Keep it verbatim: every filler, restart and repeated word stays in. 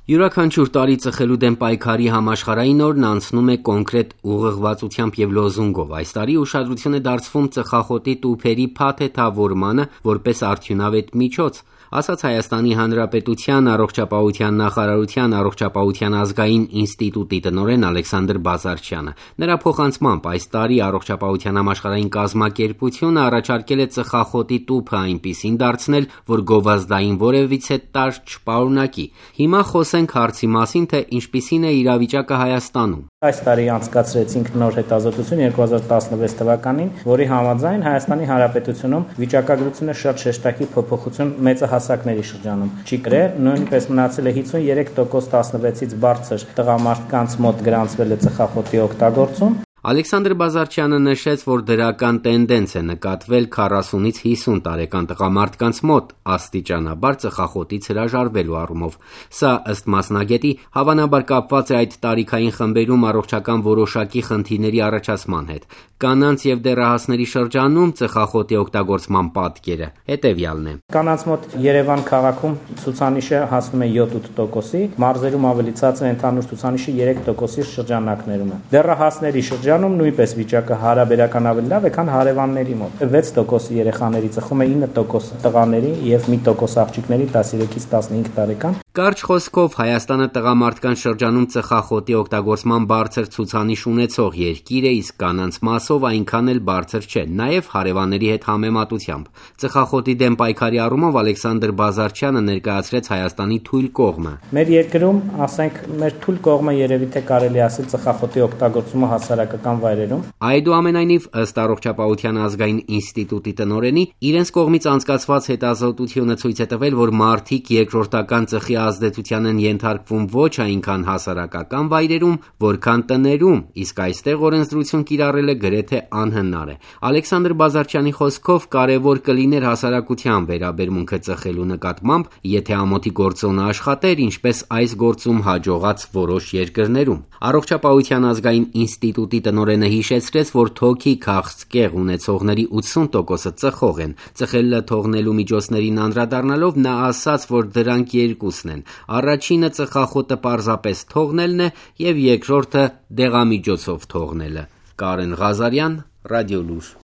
Յուրաքանչյուր տարի ծխելու դեմ պայքարի համաշխարհային օրն անցնում է կոնկրետ ուղղվածությամբ եւ լոզունգով։ Այս տարի ուշադրություն է դարձվում ծխախոտի տուփերի փաթեթավորմանը որպես արդյունավետ միջոց, ասաց Հայաստանի Հանրապետության առողջապահության նախարարության առողջապահության ազգային ինստիտուտի տնօրեն Ալեքսանդր Բազարչյանը։ Նրա փոխանցմամբ այս տարի առողջապահության համաշխարհային կազմակերպությունը առաջարկել է ծխախոտի տուփը այնպիսին դարձնել, որ գովազդային որևիցե տարր չպարունակի։ Հիմա խոսենք հարցի մասին, թե ինչպիսին է իրավիճակը Հայաստանում։ Այս տարի անցկացրեցինք նոր հետազոտություն երկու հազար տասնվեց թվականին, որի համաձայն Հայաստանի Հանրապետությունում վիճակագրությունը շատ շեշտակի փոփոխություն մեծահասակների շրջանում չի կրել, նույնպես մնացել է հիսունյուրի տոկոս տասնվեցից բարձր տղամարդկանց մոտ գրանցվել է ծխախոտի օգտագործում։ Ալեքսանդր Բազարչյանը նշեց, որ դրական տենդենց է նկատվել քառասունից հիսուն տարեկան տղամարդկանց մոտ աստիճանաբար ծխախոտից հրաժարվելու առումով։ Սա ըստ մասնագետի հավանաբար կապված է այդ տարիքային խմբերում առողջական որոշակի խնդիրների առաջացման հետ։ Կանանց եւ դեռահասների շրջանում ծխախոտի օգտագործման պատկերը հետեւյալն է։ Կանանց մոտ Երևան քաղաքում ցուցանիշը հասնում է յոթ տոկոսի, մարզերում ավելի ցածր ընդհանուր ցուցանիշը երեք տոկոսի շրջանակներում է։ Դեռահասների շրջանում նույնպես վիճակը հարաբերական ավելի լավ է, քան հարևանների մոտ։ վեց տոկոս երեխաների ծխում է, ինը տոկոս տղաների եւ մի տոկոս աղջիկների տասներեքից տասնհինգ տարեկան։ Կարճ խոսքով Հայաստանը տղամարդկանց շրջանում ծխախոտի օգտագործման բարձր ցուցանիշ ունեցող երկիր է, իսկ կանանց մասով այնքան էլ բարձր չէ, նաեւ հարևանների հետ համեմատությամբ։ Ծխախոտի դեմ պայքարի առումով Ալեքսանդր Բազարչյանը ներկայացրեց Հայաստանի թույլ կողմը։ Մեր երկրում, ասենք, մեր թույլ կողմը երևի թե կարելի ասել ծխախոտի օգտագործումը հասարակական վայրերում։ Այդուամենայնիվ, ըստ առողջապահության ազգային ինստիտուտի տնօրենի, իրենց կողմից անցկացված հետազոտությունը ցույց է տվել, որ մարդիկ երկրորդական ծխի ազդեցության են ենթարկվում ոչ այնքան հասարակական վայրերում, որքան տներում, իսկ այստեղ օրենսդրություն կիրառելը գրեթե անհնար է։ Ալեքսանդր Բազարչյանի խոսքով կարևոր կլիներ հասարակության վերաբերմունքը ծխելու նկատմամբ, եթե ամոթի գործոնը աշխատեր, ինչպես այս գործում հաջողած որոշ երկրներում։ Առողջապահության ազգային ինստիտուտի տնօրենը հիշեցրեց, որ թոքի քաղցկեղ ունեցողների ութսուն տոկոսը ծխող են։ Ծխելը թողնելու միջոցներին անդրադառնալով նա ասաց, որ դրանք երկուսն են։ Առաջինը ծխախոտը պարզապես թողնելն է եւ երկրորդը դեղամիջոցով թողնելը։ Կարեն Ղազարյան, Ռադիոլուր։